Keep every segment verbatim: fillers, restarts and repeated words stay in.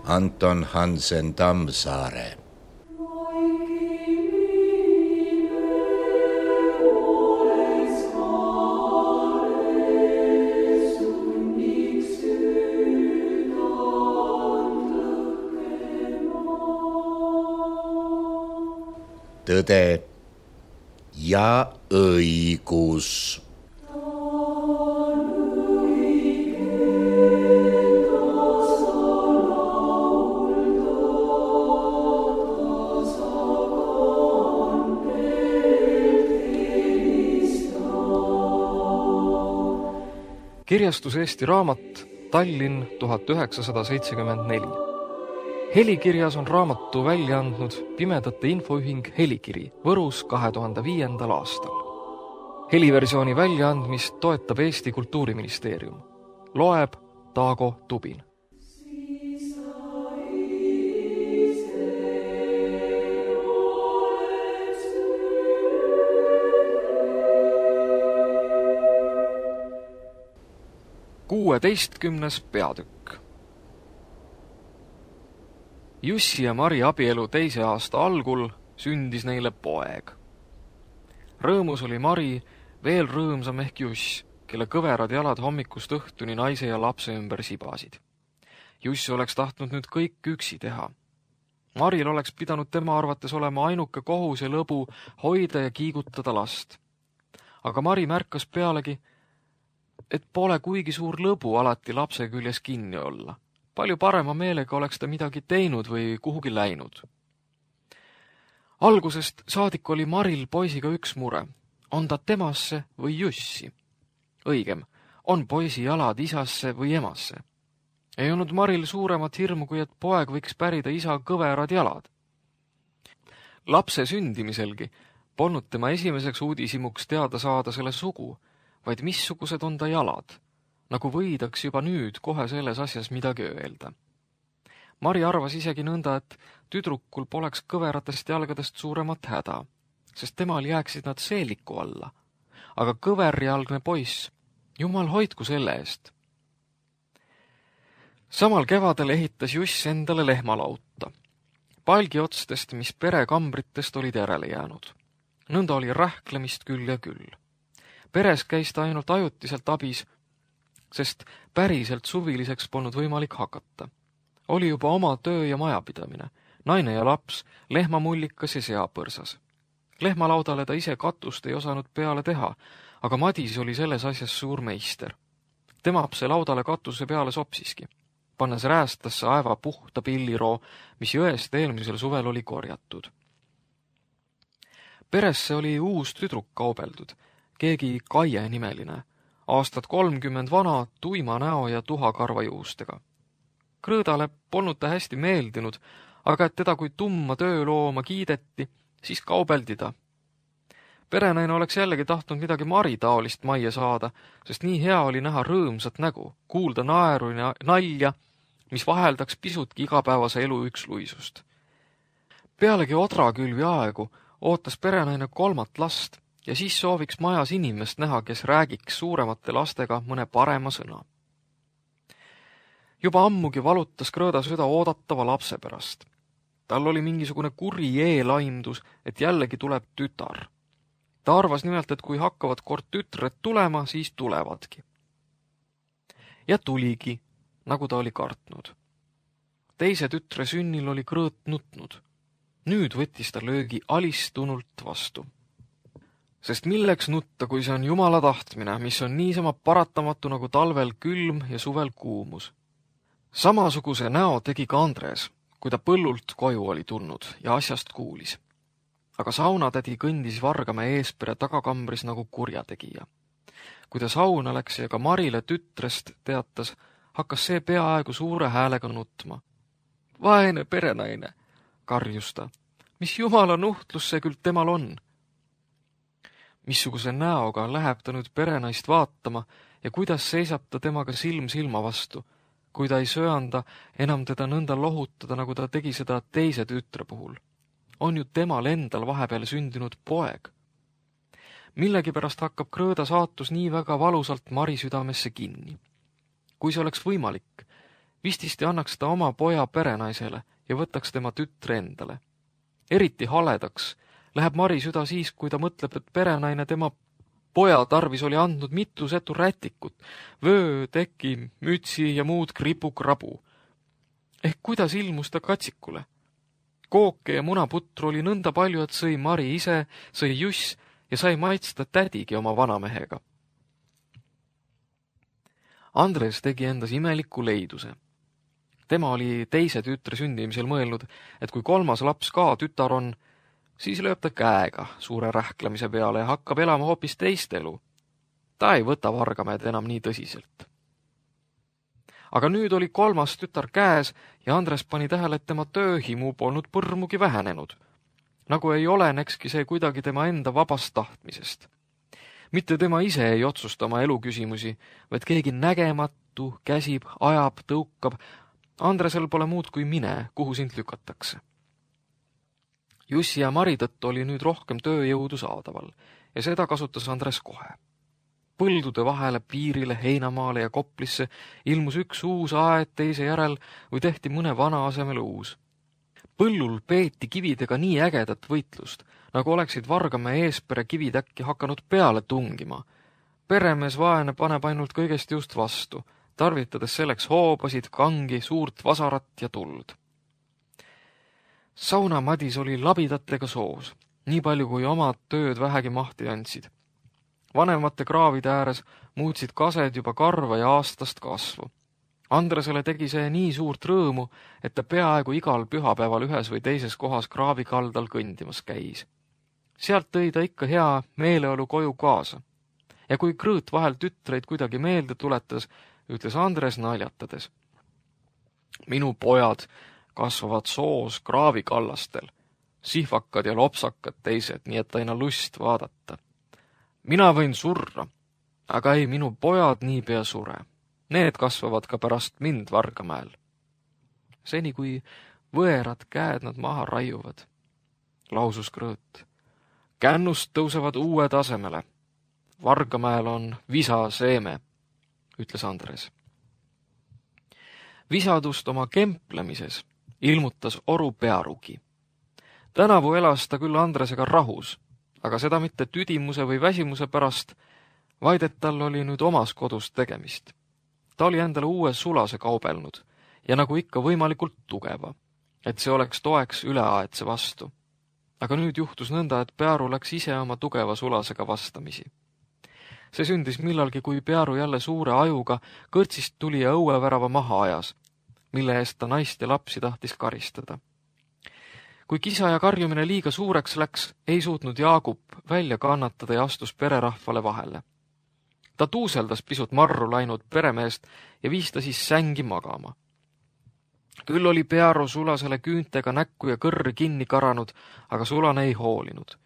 Anton Hansen Tammsaare. Tõde ja õigus. Kirjastus Eesti Raamat, Tallinn tuhat üheksasada seitsekümmend neli. Helikirjas on raamatu välja andnud Pimedate Infoühing Helikiri Võrus kahe tuhande viiendal aastal. Heliversiooni väljaandmist toetab Eesti Kultuuriministeerium. Loeb Taago Tubin. kuueteistkümnes peatükk. Jussi ja Mari abielu teise aasta algul sündis neile poeg. Rõõmus oli Mari veel rõõmsam ehk Juss, kelle kõverad jalad hommikust õhtuni naise ja lapse ümber sibasid. Juss oleks tahtnud nüüd kõik üksi teha. Maril oleks pidanud tema arvates olema ainuke kohus ja lõbu hoida ja kiigutada last. Aga Mari märkas pealegi, et pole kuigi suur lõbu alati lapse küljes kinni olla. Palju parema meelega oleks ta midagi teinud või kuhugi läinud. Algusest saadik oli Maril poisiga üks mure. On ta temasse või Jussi? Õigem, on poisi jalad isasse või emasse? Ei olnud Maril suuremat hirmu, kui et poeg võiks pärida isa kõverad jalad. Lapse sündimiselgi polnud tema esimeseks uudisimuks teada saada selle sugu, vaid missugused on ta jalad, nagu võidaks juba nüüd kohe selles asjas midagi öelda. Mari arvas isegi nõnda, et tüdrukul poleks kõveratest jalgadest suuremat häda, sest temal jääksid nad seeliku alla. Aga kõverjalgne poiss, jumal hoidku selle eest. Samal kevadel ehitas Juss endale lehmalauta, palgiotstest, mis perekambritest olid järele jäänud. Nõnda oli rähklemist küll ja küll. Peres käis ta ainult ajutiselt abis, sest päriselt suviliseks polnud võimalik hakata. Oli juba oma töö ja majapidamine, naine ja laps, lehmamullikas ja seapõrsas. Lehmalaudale ta ise katust ei osanud peale teha, aga Madis oli selles asjas suur meister. Temap see laudale katuse peale sopsiski, pannes räästasse aeva puhta pilliroo, mis jõest eelmisel suvel oli korjatud. Peresse oli uus tüdruk kaubeldud, keegi Kaie nimeline, aastat kolmkümmend vana, tuima näo ja tuhakarva juustega. Krõõdale polnud ta hästi meeldinud, aga et teda kui tumma töölooma kiideti, siis kaubeldi ta. Perenaine oleks jällegi tahtnud midagi Mari taolist majja saada, sest nii hea oli näha rõõmsat nägu, kuulda naeru ja nalja, mis vaheldaks pisutki igapäevase elu üksluisust. Pealegi odrakülvi aegu ootas perenaine kolmat last, ja siis sooviks majas inimest näha, kes räägiks suuremate lastega mõne parema sõna. Juba ammugi valutas Krõõda süda oodatava lapse pärast. Tal oli mingisugune kuri eelaimdus, et jällegi tuleb tütar. Ta arvas nimelt, et kui hakkavad kord tütred tulema, siis tulevadki. Ja tuligi, nagu ta oli kartnud. Teise tütre sünnil oli Krõõt nutnud. Nüüd võttis ta löögi alistunult vastu. Sest milleks nutta, kui see on Jumala tahtmine, mis on niisama paratamatu nagu talvel külm ja suvel kuumus. Samasuguse näo tegi ka Andres, kui ta põllult koju oli tulnud ja asjast kuulis. Aga saunatädi kõndis Vargamäe eespere tagakambris nagu kurjategija. Kui ta sauna läks ja ka Marile tütrest teatas, hakkas see peaaegu suure häälega nutma. Vaene perenaine, karjus ta. Mis jumala nuhtlus see küll temal on? Missuguse näoga läheb ta nüüd perenaist vaatama ja kuidas seisab ta temaga silm silma vastu, kui ta ei söanda enam teda nõnda lohutada, nagu ta tegi seda teise tütre puhul. On ju temal endal vahepeal sündinud poeg. Millegipärast hakkab Krõõda saatus nii väga valusalt Mari südamesse kinni. Kui see oleks võimalik, Vististi annaks ta oma poja perenaisele ja võtaks tema tütre endale. Eriti haledaks läheb Mari süda siis, kui ta mõtleb, et perenaine tema poja tarvis oli andnud mitu setu rätikut, vöö, teki, mütsi ja muud kripu-krabu. Ehk kuidas ilmus ta katsikule? Kooke ja munaputru oli nõnda palju, et sõi Mari ise, sõi Juss ja sai maitsta tädigi oma vanamehega. Andres tegi endas imeliku leiduse. Tema oli teise tütre sündimisel mõelnud, et kui kolmas laps ka tütar on, siis lööb ta käega suure rähklemise peale ja hakkab elama hoopis teist elu. Ta ei võta Vargamäed enam nii tõsiselt. Aga nüüd oli kolmas tütar käes ja Andres pani tähele, et tema tööhimu polnud põrmugi vähenenud. Nagu ei olenekski see kuidagi tema enda vabast tahtmisest. Mitte tema ise ei otsusta oma eluküsimusi, vaid keegi nägematu käsib, ajab, tõukab. Andresel pole muud kui mine, kuhu sind lükatakse. Jussi ja Mari tõttu oli nüüd rohkem tööjõudu saadaval ja seda kasutas Andres kohe. Põldude vahele, piirile, Heinamaale ja Koplisse ilmus üks uus aed teise järel või tehti mõne vana asemel uus. Põllul peeti kividega nii ägedat võitlust, nagu oleksid Vargamäe eespere kivid äkki hakanud peale tungima. Peremees vaene paneb ainult kõigest just vastu, tarvitades selleks hoobasid, kangi, suurt vasarat ja tuld. Saunamadis oli labidatega soos, nii palju kui omad tööd vähegi mahti andsid. Vanemate kraavide ääres muutsid kased juba karva ja aastast kasvu. Andresele tegi see nii suurt rõõmu, et ta peaaegu igal pühapäeval ühes või teises kohas kraavi kaldal kõndimas käis. Sealt tõi ta ikka hea meeleolu koju kaasa. Ja kui Krõõt vahel tütreid kuidagi meelde tuletas, ütles Andres naljatades. Minu pojad kasvavad soos kraavikallastel, sihvakad ja lopsakad teised, nii et aina lust vaadata. Mina võin surra, aga ei, minu pojad niipea sure. Need kasvavad ka pärast mind Vargamäel. Seni kui võerad käed nad maha raiuvad, lausus Krõõt. Kännust tõusevad uue tasemele. Vargamäel on visa seeme, ütles Andres. Visadust oma kemplemises ilmutas Oru Pearugi. Tänavu elas ta küll Andresega rahus, aga seda mitte tüdimuse või väsimuse pärast, vaid et tal oli nüüd omas kodus tegemist. Ta oli endale uue sulase kaubelnud ja nagu ikka võimalikult tugeva, et see oleks toeks üleaetse vastu. Aga nüüd juhtus nõnda, et Pearu läks ise oma tugeva sulasega vastamisi. See sündis millalgi, kui Pearu jälle suure ajuga kõrtsist tuli ja õuevärava maha ajas, mille eest ta naist ja lapsi tahtis karistada. Kui kisa ja karjumine liiga suureks läks, ei suutnud Jaagup välja kannatada ja astus pererahvale vahele. Ta tuuseldas pisut marru läinud peremeest ja viis ta siis sängi magama. Küll oli Pearu sulasele küüntega näkku ja kõrri kinni karanud, aga sulane ei hoolinud.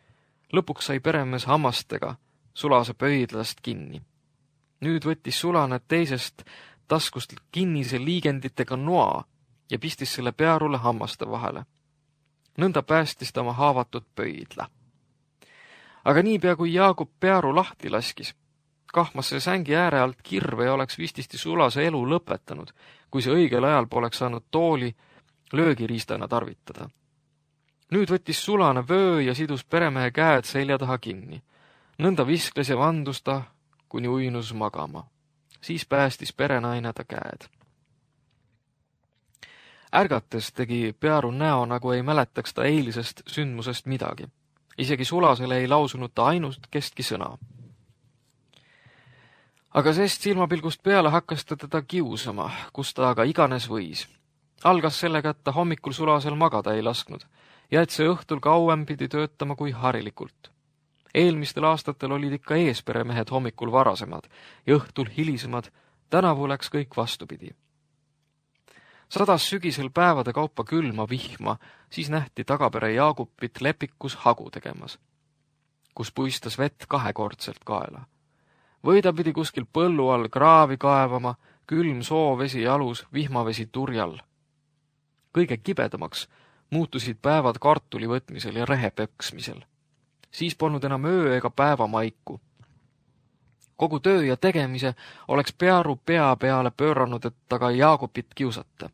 Lõpuks sai peremees hammastega sulase pöidlast kinni. Nüüd võttis sulane teisest taskust kinnise liigenditega noa ja pistis selle Pearule hammaste vahele. Nõnda päästis ta oma haavatud pöidla. Aga niipea kui Jaagup Pearu lahti laskis, kahmas see sängi ääre alt kirve ja oleks vististi sulase elu lõpetanud, kui see õigel ajal poleks saanud tooli löögiriistana tarvitada. Nüüd võttis sulane vöö ja sidus peremehe käed selja taha kinni. Nõnda viskles ja vandus ta, kuni uinus magama. Siis päästis perenaine ta käed. Ärgates tegi Pearu näo, nagu ei mäletaks ta eilisest sündmusest midagi. Isegi sulasele ei lausunud ta ainust kestki sõna. Aga sest silmapilgust peale hakkas ta teda kiusama, kus ta aga iganes võis. Algas sellega, et ta hommikul sulasel magada ei lasknud ja et see õhtul kauem pidi töötama kui harilikult. Eelmistel aastatel olid ikka eesperemehed hommikul varasemad ja õhtul hilisemad, tänavu läks kõik vastupidi. Sadas sügisel päevade kaupa külma vihma, siis nähti tagapere Jaagupit lepikus hagu tegemas, kus puistas vett kahekordselt kaela. Või ta pidi kuskil põllu all kraavi kaevama, külm soovesi jalus, vihmavesi turjal. Kõige kibedamaks muutusid päevad kartuli võtmisel ja rehe peksmisel. Siis polnud enam öö ega päeva maiku. Kogu töö ja tegemise oleks Pearu pea peale pööranud, et taga Jaagupit kiusata.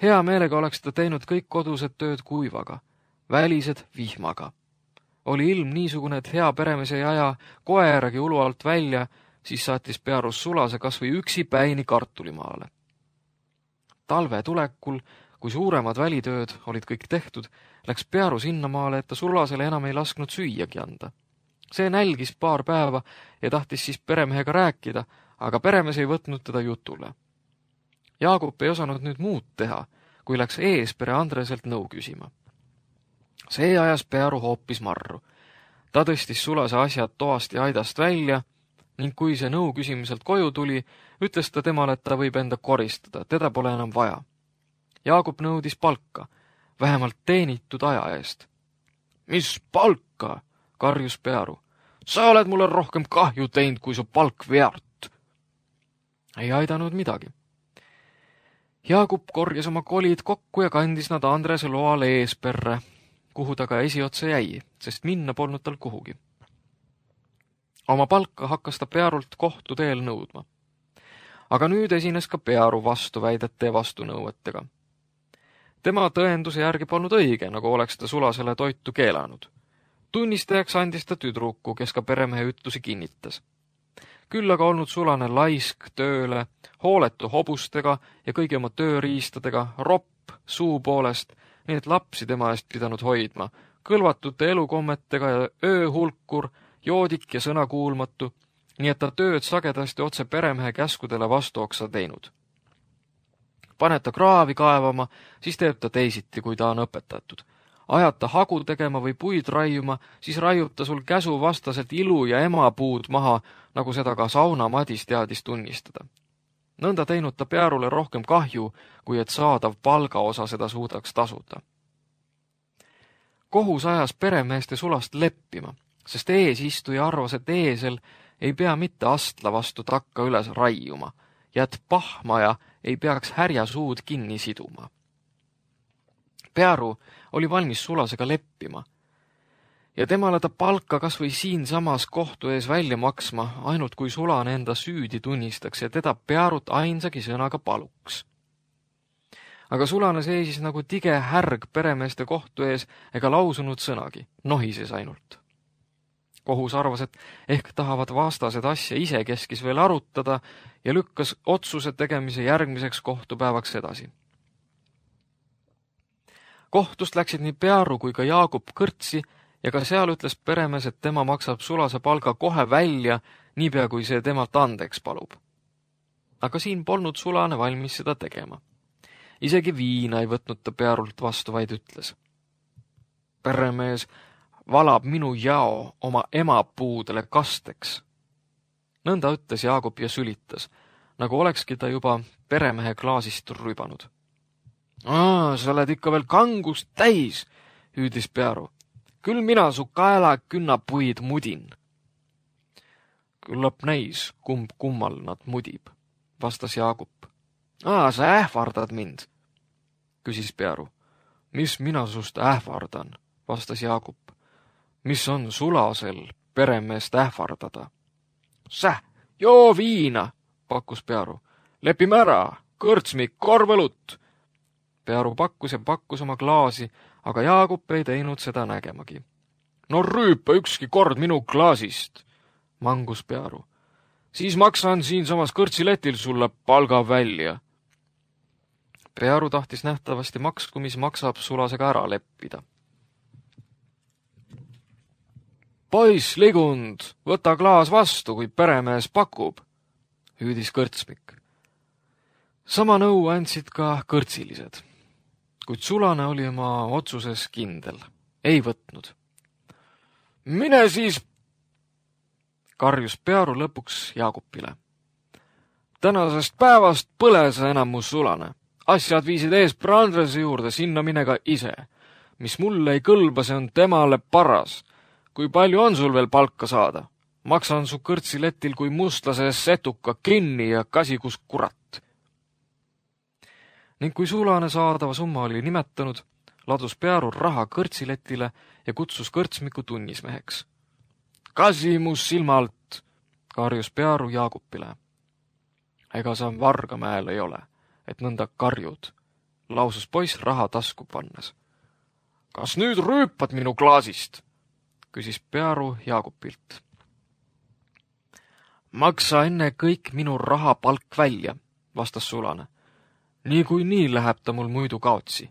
Hea meelega oleks ta teinud kõik kodused tööd kuivaga, välised vihmaga. Oli ilm niisugune, et hea peremees ei aja koeragi ulu alt välja, siis saatis Pearus sulase kas või üksi päini kartulimaale. Talve tulekul, kui suuremad välitööd olid kõik tehtud, läks Pearu sinnamaale, et ta sulasele enam ei lasknud süüagi anda. See nälgis paar päeva ja tahtis siis peremehega rääkida, aga peremees ei võtnud teda jutule. Jaagup ei osanud nüüd muud teha, kui läks eespere Andreselt nõu küsima. See ajas Pearu hoopis marru. Ta tõstis sulase asjad toast ja aidast välja ning kui see nõu küsimiselt koju tuli, ütles ta temale, et ta võib enda koristada, teda pole enam vaja. Jaagup nõudis palka, vähemalt teenitud aja eest. Mis palka? Karjus Pearu. Sa oled mulle rohkem kahju teinud, kui su palk väärt. Ei aidanud midagi. Jaagup korjas oma kolid kokku ja kandis nad Andrese loale eesperre, kuhu ta ka esiotsa jäi, sest minna polnud tal kuhugi. Oma palka hakkas ta Pearult kohtu teel nõudma. Aga nüüd esines ka Pearu vastuväidete ja vastunõuetega. Tema tõenduse järgi polnud õige, nagu oleks ta sulasele toitu keelanud. Tunnistajaks andis ta tüdruku, kes ka peremehe ütlusi kinnitas. Küll aga olnud sulane laisk tööle, hooletu hobustega ja kõigi oma tööriistadega, ropp suu poolest, nii et lapsi tema eest pidanud hoidma, kõlvatute elukommetega ja ööhulkur, joodik ja sõnakuulmatu, nii et ta tööd sagedasti otse peremehe käskudele vastuoksa teinud. Paneb ta kraavi kaevama, siis teeb ta teisiti, kui ta on õpetatud. Ajad ta hagu tegema või puid raiuma, siis raiub ta sul käsu vastaselt ilu ja emapuud maha, nagu seda ka sauna Madis teadis tunnistada. Nõnda teinud ta Pearule rohkem kahju, kui et saadav palgaosa seda suudaks tasuda. Kohus ajas peremeeste sulast leppima, sest eesistuja arvas, et eesel ei pea mitte astla vastu takka üles raiuma ja et pahmaja ei peaks härja suud kinni siduma. Pearu oli valmis sulasega leppima ja temale ta palka kas või siinsamas kohtu ees välja maksma, ainult kui sulane enda süüdi tunnistaks ja teda Pearut ainsagi sõnaga paluks. Aga sulane seisis nagu tige härg peremeeste kohtu ees ega lausunud sõnagi, nohises ainult. Kohus arvas, et ehk tahavad vastased asja ise keskis veel arutada ja lükkas otsuse tegemise järgmiseks kohtupäevaks edasi. Kohtust läksid nii Pearu kui ka Jaagup kõrtsi ja ka seal ütles peremees, et tema maksab sulase palga kohe välja, niipea kui see temalt andeks palub. Aga siin polnud sulane valmis seda tegema. Isegi viina ei võtnud ta Pearult vastu, vaid ütles. Peremees valab minu jao oma emapuudele kasteks. Nõnda ütles Jaagup ja sülitas, nagu olekski ta juba peremehe klaasist rübanud. Aa, sa oled ikka veel kangust täis, hüüdis Pearu. Küll mina su kaela künnapuid mudin. Küllap näis, kumb kummal nad mudib, vastas Jaagup. Aa, sa ähvardad mind, küsis Pearu. Mis mina sust ähvardan, vastas Jaagup. Mis on sulasel peremeest ähvardada? Säh, joo viina, pakkus Pearu. Lepime ära, kõrtsmik, korvelut. Pearu pakkus ja pakkus oma klaasi, aga Jaagup ei teinud seda nägemagi. No rüüpa ükski kord minu klaasist, mangus Pearu. Siis maksan siinsamas kõrtsiletil sulle palga välja. Pearu tahtis nähtavasti maksku, mis maksab sulasega ära leppida. Poiss Ligund, võta klaas vastu, kui peremees pakub, hüüdis kõrtsmik. Sama nõu andsid ka kõrtsilised, kuid sulane oli oma otsuses kindel, ei võtnud. Mine siis, karjus Pearu lõpuks Jaagupile. Tänasest päevast põle sa enam mu sulane. Asjad viisid eespere Andrese juurde, sinna mine ka ise. Mis mulle ei kõlba, see on temale paras. Kui palju on sul veel palka saada? Maksan su kõrtsiletil kui mustlase setuka kinni ja kasikus kurat. Ning kui sulane saadava summa oli nimetanud, ladus Pearu raha kõrtsiletile ja kutsus kõrtsmiku tunnismeheks. Kasi mu silmalt, karjus Pearu Jaagupile. Ega sa Vargamäel ei ole, et nõnda karjud, lausus poiss raha tasku pannes. Kas nüüd rüüpad minu klaasist? Küsis Pearu Jaagupilt. Maksa enne kõik minu rahapalk välja, vastas Sulane. Nii kui nii läheb ta mul muidu kaotsi.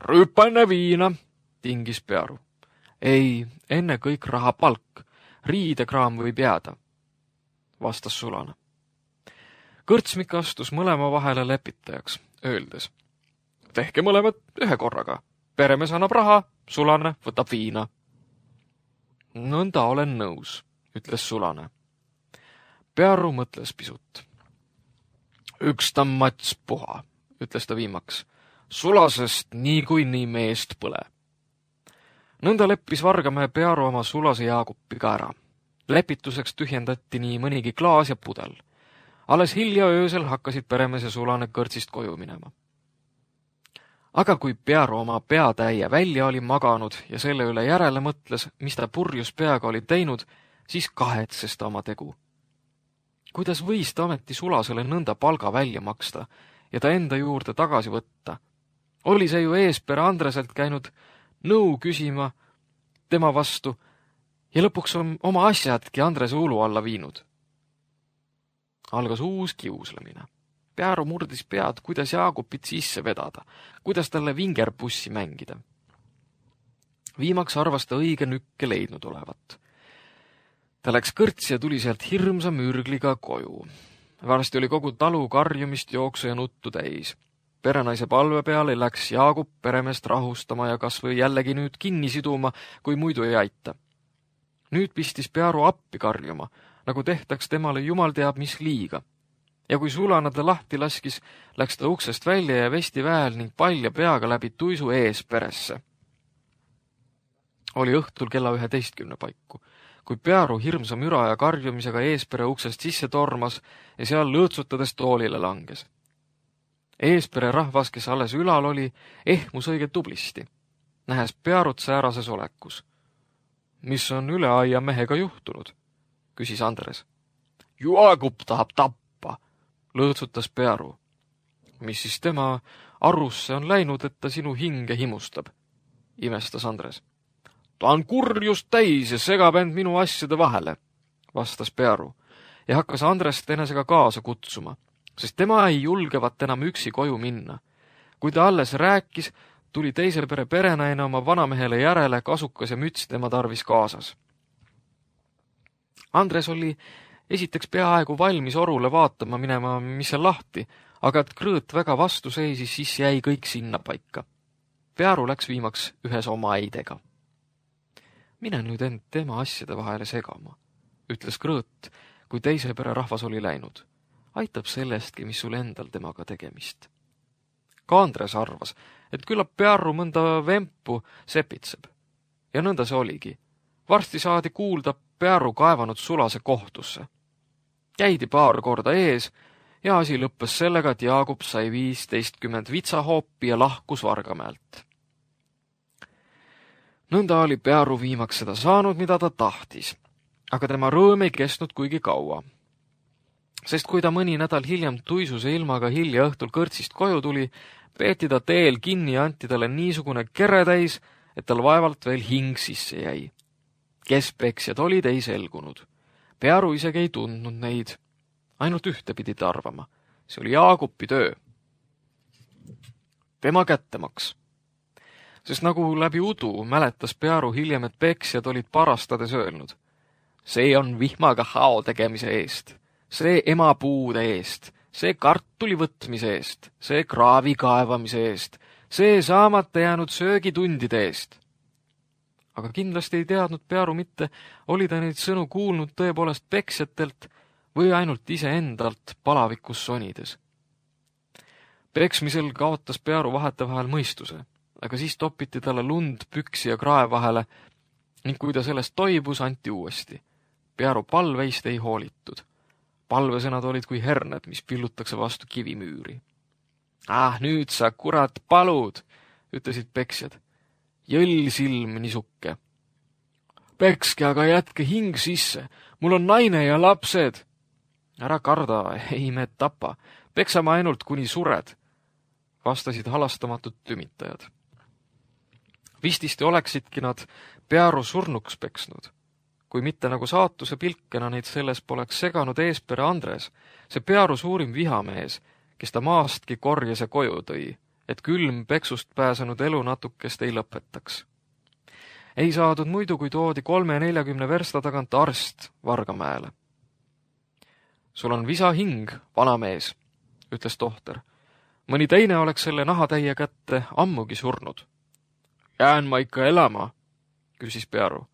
Rüüpa enne viina, tingis Pearu. Ei, enne kõik rahapalk, riidekraam võib jääda, vastas Sulane. Kõrtsmik astus mõlema vahele lepitajaks, öeldes. Tehke mõlemad ühe korraga. Peremees annab raha, Sulane võtab viina. Nõnda olen nõus, ütles Sulane. Pearu mõtles pisut. Üks ta mats puha, ütles ta viimaks. Sulasest nii kui nii meest põle. Nõnda leppis Vargamäe Pearu oma Sulase Jaagupiga ära. Lepituseks tühjendati nii mõnigi klaas ja pudel. Alles hilja öösel hakkasid peremees ja Sulane kõrtsist koju minema. Aga kui Pearu oma peatäie välja oli maganud ja selle üle järele mõtles, mis ta purjus peaga oli teinud, siis kahetses ta oma tegu. Kuidas võis ta ometi Sulasele nõnda palga välja maksta ja ta enda juurde tagasi võtta? Oli see ju eespere Andreselt käinud nõu küsima tema vastu ja lõpuks on oma asjadki Andrese ulu alla viinud. Algas uus kiuslemine. Pearu murdis pead, kuidas Jaagupit sisse vedada, kuidas talle vingerpussi mängida. Viimaks arvas ta õige nükke leidnud olevat. Ta läks kõrtsi ja tuli sealt hirmsa mürgliga koju. Varsti oli kogu talu karjumist, jooksu ja nuttu täis. Perenaise palve peale läks Jaagup peremeest rahustama ja kas või jällegi nüüd kinni siduma, kui muidu ei aita. Nüüd pistis Pearu appi karjuma, nagu tehtaks temale jumal teab mis liiga. Ja kui Sulane ta lahti laskis, läks ta uksest välja ja vesti väel ning palja peaga läbi tuisu ees peresse. Oli õhtul kella üheteistkümne paiku, kui Pearu hirmsa müra ja karjumisega eespere uksest sisse tormas ja seal lõõtsutades toolile langes. Eespere rahvas, kes alles ülal oli, ehmus õige tublisti, nähes Pearut säärases olekus. Mis on üle aia mehega juhtunud? Küsis Andres. Jaagup tahab tappa, lõõtsutas Pearu. Mis siis tema arusse on läinud, et ta sinu hinge himustab, imestas Andres. Ta on kurjust täis ja segab end minu asjade vahele, vastas Pearu ja hakkas Andrest enesega kaasa kutsuma, sest tema ei julgevat enam üksi koju minna. Kui ta alles rääkis, tuli teisel pere perenaine oma vanamehele järele, kasukas ja müts tema tarvis kaasas. Andres oli esiteks peaaegu valmis orule vaatama minema, mis seal lahti, aga et krõõt väga vastu seisis, siis jäi kõik sinna paika. Pearu läks viimaks ühes oma eidega. Mine nüüd end tema asjade vahele segama, ütles krõõt, kui teise pere rahvas oli läinud. Aitab sellestki, mis sul endal temaga tegemist. Ka Andres arvas, et küllap Pearu mõnda vempu sepitseb. Ja nõnda see oligi. Varsti saadi kuulda Pearu kaevanud Sulase kohtusse. Käidi paar korda ees ja asi lõppes sellega, et Jaagup sai viisteistkümmend vitsahoopi ja lahkus Vargamäelt. Nõnda oli Pearu viimaks seda saanud, mida ta tahtis, aga tema rõõm ei kestnud kuigi kaua. Sest kui ta mõni nädal hiljem tuisuse ilmaga hilja õhtul kõrtsist koju tuli, peeti ta teel kinni ja anti talle niisugune keretäis, et tal vaevalt veel hing sisse jäi. Kes peksjad olid, ei selgunud. Pearu isegi ei tundnud neid. Ainult ühte pidi ta arvama. See oli Jaagupi töö. Tema kättemaks. Sest nagu läbi udu mäletas Pearu hiljem, et peksjad olid parastades öelnud. See on vihmaga hao tegemise eest. See emapuude eest. See kartuli võtmise eest. See kraavi kaevamise eest. See saamata jäänud söögitundide eest. Aga kindlasti ei teadnud Pearu mitte, oli ta neid sõnu kuulnud tõepoolest peksjatelt või ainult iseendalt palavikus sonides. Peksmisel kaotas Pearu vahetevahel mõistuse, aga siis topiti talle lund püksi ja krae vahele ning kui ta sellest toibus, anti uuesti. Pearu palveist ei hoolitud. Palvesõnad olid kui herned, mis pillutakse vastu kivimüüri. Ah, nüüd sa kurat palud, ütlesid peksjad. Jõll silm nisukke. Pekske, aga jätke hing sisse. Mul on naine ja lapsed. Ära karda, ei me tapa. Peksame ainult, kuni sured, vastasid halastamatud tümitajad. Vististi oleksidki nad Pearu surnuks peksnud. Kui mitte nagu saatuse pilkena neid selles poleks seganud eespere Andres, see Pearu suurim vihamees, kes ta maastki korjas ja koju tõi, et külm peksust pääsenud elu natukest ei lõpetaks. Ei saadud muidu, kui toodi kolme neljakümne versta tagant arst Vargamäele. Sul on visa hing, vanamees, ütles tohter. Mõni teine oleks selle nahatäie kätte ammugi surnud. Jään ma ikka elama, küsis Pearu.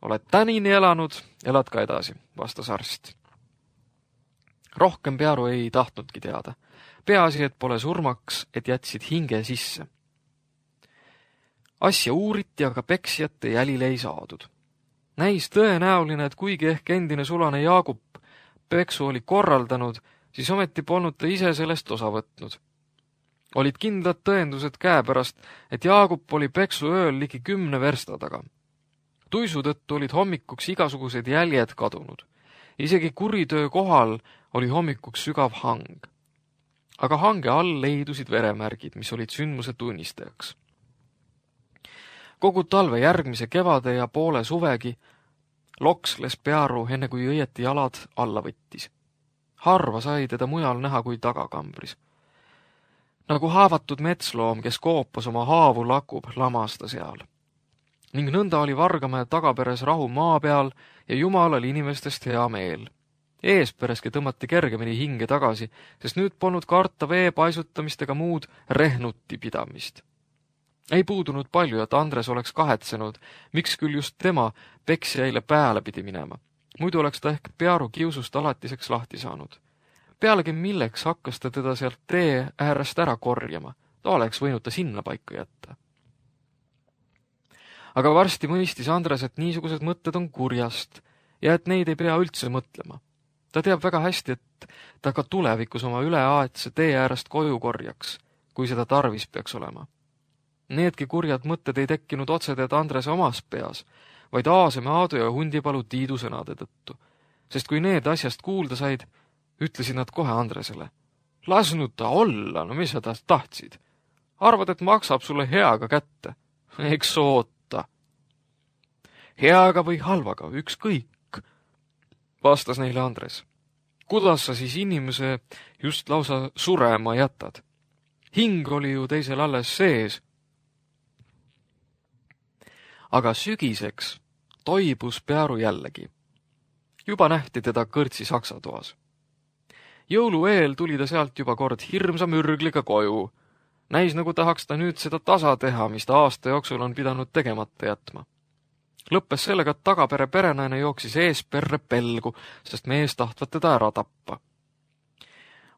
Oled tänini elanud, elad ka edasi, vastas arst. Rohkem Pearu ei tahtnudki teada. Peaasi, et pole surmaks, et jätsid hinge sisse. Asja uuriti, aga peksjate jälile ei saadud. Näis tõenäoline, et kuigi ehk endine sulane Jaagup peksu oli korraldanud, siis ometi polnud ta ise sellest osa võtnud. Olid kindlad tõendused käepärast, et Jaagup oli peksu ööl ligi kümne versta taga. Tuisu tõttu olid hommikuks igasugused jäljed kadunud. Isegi kuritöö kohal oli hommikuks sügav hang. Aga hange all leidusid veremärgid, mis olid sündmuse tunnistajaks. Kogu talve järgmise kevade ja poole suvegi loksles Pearu, enne kui õieti jalad alla võttis. Harva sai teda mujal näha kui tagakambris. Nagu haavatud metsloom, kes koopas oma haavu lakub, lamas ta seal. Ning nõnda oli Vargamäe tagaperes rahu maa peal ja Jumalal inimestest hea meel. Eespereski tõmmati kergemini hinge tagasi, sest nüüd polnud karta vee paisutamist ega muud rehnuti pidamist. Ei puudunud palju, et Andres oleks kahetsenud, miks küll just tema peksjaile pääle pidi minema. Muidu oleks ta ehk Pearu kiusust alatiseks lahti saanud. Pealegi milleks hakkas ta teda sealt tee äärest ära korjama, ta oleks võinud ta sinna paika jätta. Aga varsti mõistis Andres, et niisugused mõtted on kurjast ja et neid ei pea üldse mõtlema. Ta teab väga hästi, et ta ka tulevikus oma üleaetse tee äärest koju korjaks, kui seda tarvis peaks olema. Needki kurjad mõtted ei tekkinud otseteed Andrese omas peas, vaid Aaseme Aadu ja Hundipalu Tiidu sõnade tõttu, sest kui need asjast kuulda said, ütlesid nad kohe Andresele. Lasnud ta olla, no mis sa ta tahtsid? Arvad, et maksab sulle heaga kätte? Eks oota. Heaga või halvaga, ükskõik, vastas neile Andres. Kuidas sa siis inimese just lausa surema jätad? Hing oli ju teisel alles sees. Aga sügiseks toibus Pearu jällegi. Juba nähti teda kõrtsi saksatoas. Jõulu eel tuli ta sealt juba kord hirmsa mürgliga koju. Näis nagu tahaks ta nüüd seda tasa teha, mis ta aasta jooksul on pidanud tegemata jätma. Lõppes sellega, et tagapere perenaine jooksis eesperre pelgu, sest mees tahtvat teda ära tappa.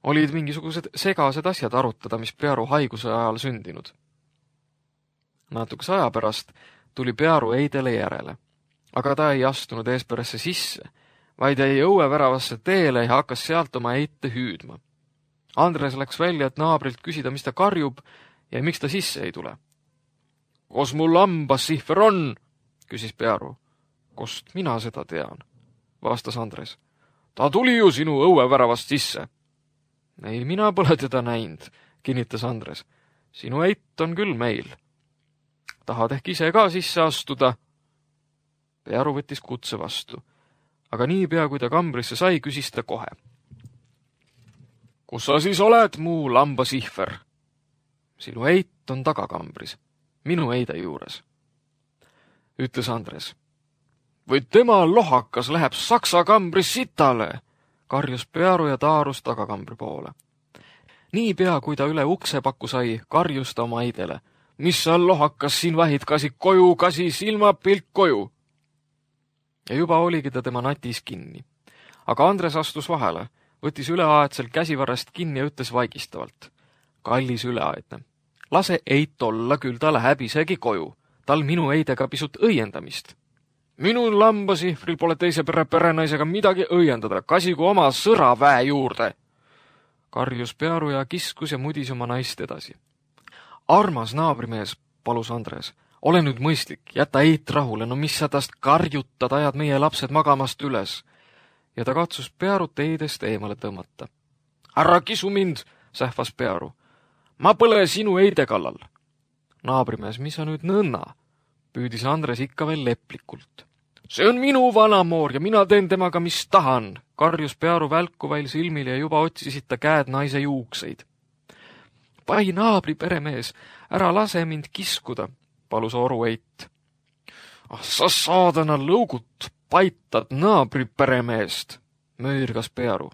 Olid mingisugused segased asjad arutada, mis Pearu haiguse ajal sündinud. Natukese aja pärast tuli Pearu Eidele järele, aga ta ei astunud eesperesse sisse, vaid jäi õueväravasse teele ja hakkas sealt oma eite hüüdma. Andres läks välja, et naabrilt küsida, mis ta karjub ja miks ta sisse ei tule. Kos mul lambas sihver on? Küsis Pearu. Kost mina seda tean, vastas Andres. Ta tuli ju sinu õueväravast sisse. Ei, mina pole teda näinud, kinnitas Andres. Sinu eit on küll meil. Tahad ehk ise ka sisse astuda? Pearu võttis kutse vastu, aga niipea, kui ta kambrisse sai, küsis ta kohe. Kus sa siis oled, mu lambasihver? Sinu eit on tagakambris, minu eide juures, ütles Andres. Või tema lohakas läheb saksa kambris sitale, karjus Pearu ja taarus tagakambri poole. Niipea, kui ta üle uksepaku sai, karjus ta oma eidele. Mis sa lohakas siin vahid, kasi koju, kasi silmapilk koju? Ja juba oligi ta tema natis kinni. Aga Andres astus vahele, võttis üleaedsel käsivarrest kinni ja ütles vaigistavalt. Kallis üleaedne, lase eit olla, küll ta läheb isegi koju. Tal minu eidega pisut õiendamist. Minu lambasihvril pole teise pere perenaisega midagi õiendada, kasigu oma sõraväe juurde. Karjus Pearu ja kiskus ja mudis oma naist edasi. Armas naabrimees, palus Andres, Ole nüüd mõistlik, jäta Eit rahule, no mis sa tast karjutad, ajad meie lapsed magamast üles. Ja ta katsus Pearut Eidest eemale tõmmata. Ära kisu mind, sähvas Pearu. Ma põle sinu Eide kallal. Naabrimees, mis sa nüüd nõnna? Püüdis Andres ikka veel leplikult. See on minu vanamoor ja mina teen temaga, mis tahan, karjus Pearu välkuvail silmil ja juba otsisid ta käed naise juukseid. Pai naabri peremees, ära lase mind kiskuda, palus Oru Eit. Ah, sa saadana lõugut paitad naabri peremeest, möörgas Pearu.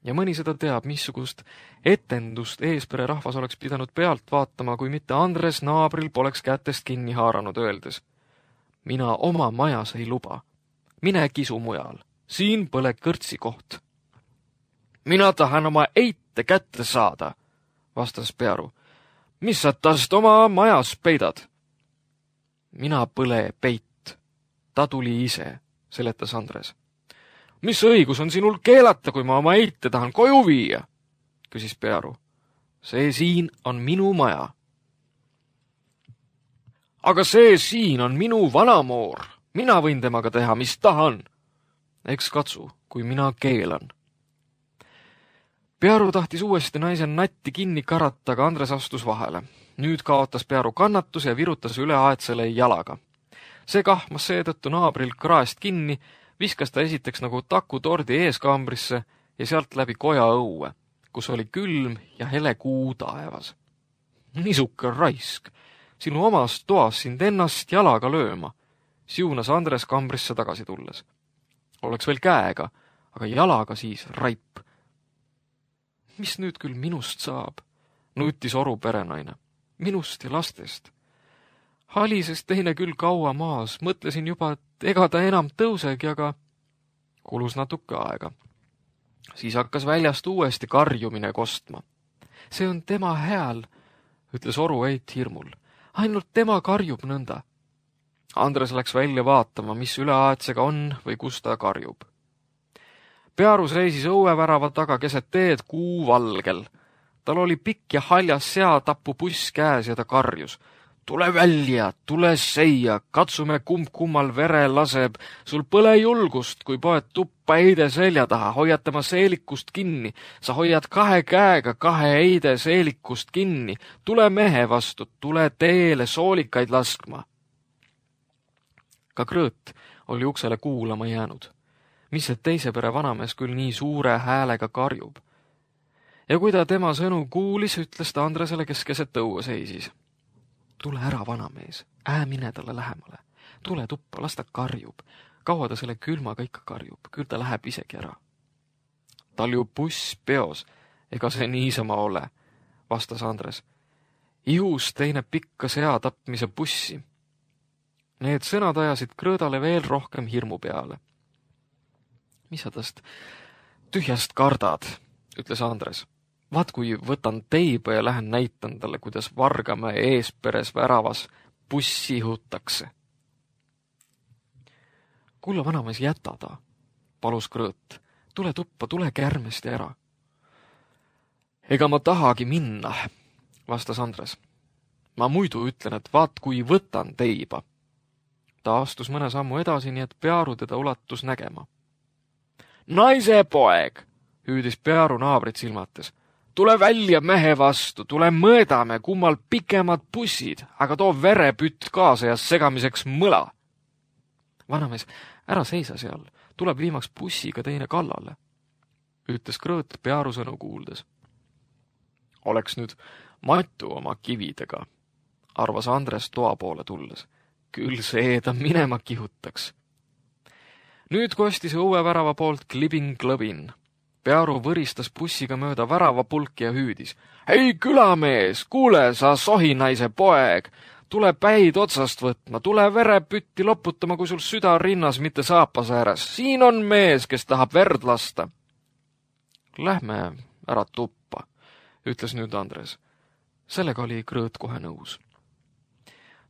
Ja mõni seda teab, missugust etendust eespere rahvas oleks pidanud pealt vaatama, kui mitte Andres naabril poleks kätest kinni haaranud öeldes. Mina oma majas ei luba. Mine kisu mujal. Siin põle kõrtsi koht. Mina tahan oma Eite kätte saada, vastas Pearu. Mis sa tast oma majas peidad? Mina põle peit. Ta tuli ise, seletas Andres. Mis õigus on sinul keelata, kui ma oma Eite tahan koju viia? Küsis Pearu. See siin on minu maja. Aga see siin on minu vanamoor. Mina võin temaga teha, mis tahan. Eks katsu, kui mina keelan. Pearu tahtis uuesti naisen natti kinni karata, aga Andres astus vahele. Nüüd kaotas Pearu kannatus ja virutas üle aetsele jalaga. See kahmas seetõttu naabril kraest kinni, viskas ta esiteks nagu takutordi eeskambrisse ja sealt läbi koja õue, kus oli külm ja hele kuu taevas. Nisuke raisk, sinu omas toas sind ennast jalaga lööma, siunas Andres kambrisse tagasi tulles. Oleks veel käega, aga jalaga siis raip. Mis nüüd küll minust saab? Nutis Oru perenaine. Minust ja lastest. Halisest teine küll kaua maas, mõtlesin juba, et ega ta enam tõusegi, aga kulus natuke aega. Siis hakkas väljast uuesti karjumine kostma. See on tema hääl, ütles Oru Eit hirmul. Ainult tema karjub nõnda. Andres läks välja vaatama, mis üleaetsega on või kus ta karjub. Pearus reisis õuevärava taga keset teed kuu valgel. Tal oli pikk ja haljas seatapu puss käes ja ta karjus. Tule välja, tule seia, katsume kumb kummal vere laseb. Sul põle julgust, kui poed tuppa Eide selja taha, hoiad tema seelikust kinni. Sa hoiad kahe käega kahe Eide seelikust kinni. Tule mehe vastu, tule teele soolikaid laskma. Ka Krõõt oli uksele kuulama jäänud. Mis see teise pere vanamees küll nii suure häälega karjub. Ja kui ta tema sõnu kuulis, ütles ta Andresele, kes keset õue seisis. Tule ära, vanamees, ää mine talle lähemale. Tule tuppa, las ta karjub. Kaua ta selle külmaga ikka karjub, küll ta läheb isegi ära. Tal ju buss peos, ega see niisama ole, vastas Andres. Ihus teine pikka sea tapmise bussi. Need sõnad ajasid Krõõdale veel rohkem hirmu peale. Mis sa tast tühjast kardad, ütles Andres. Vaat kui võtan teiba ja lähen näitan talle, kuidas Vargamäe eesperes väravas bussi hutakse. Kulla vanamees, jäta ta, palus Krõõt. Tule tuppa, tule kärmesti ära. Ega ma tahagi minna, vastas Andres. Ma muidu ütlen, et vaat kui võtan teiba. Ta astus mõne sammu edasi, nii et Pearu teda ulatus nägema. Naise poeg, hüüdis Pearu naabrit silmates. Tule välja mehe vastu, tule mõõdame, kummal pikemad bussid, aga too verepütt kaasa ja segamiseks mõla. Vanamees, ära seisa seal, tuleb viimaks bussiga teine kallale, ütles Krõõt Pearu sõnu kuuldes. Oleks nüüd matu oma kividega, arvas Andres toa poole tulles. Küll see ta minema kihutaks. Nüüd kostis õuevärava poolt klibin-klõbin. Pearu võristas bussiga mööda väravapulki ja hüüdis. Hei külamees, kuule sa sohinaise poeg, tule päid otsast võtma, tule verepütti loputama, kui sul süda rinnas, mitte saapas ääres. Siin on mees, kes tahab verd lasta. Lähme ära tuppa, ütles nüüd Andres. Sellega oli Krõõt kohe nõus.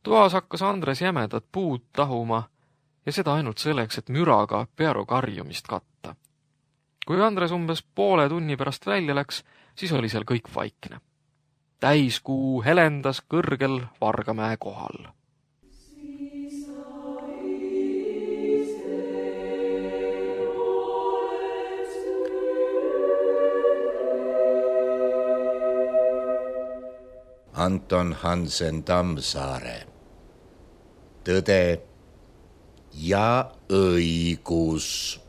Toas hakkas Andres jämedat puud tahuma ja seda ainult selleks, et müraga Pearu karjumist katta. Kui Andres umbes poole tunni pärast välja läks, siis oli seal kõik vaikne. Täiskuu helendas kõrgel Vargamäe kohal. Anton Hansen Tammsaare. Tõde ja õigus.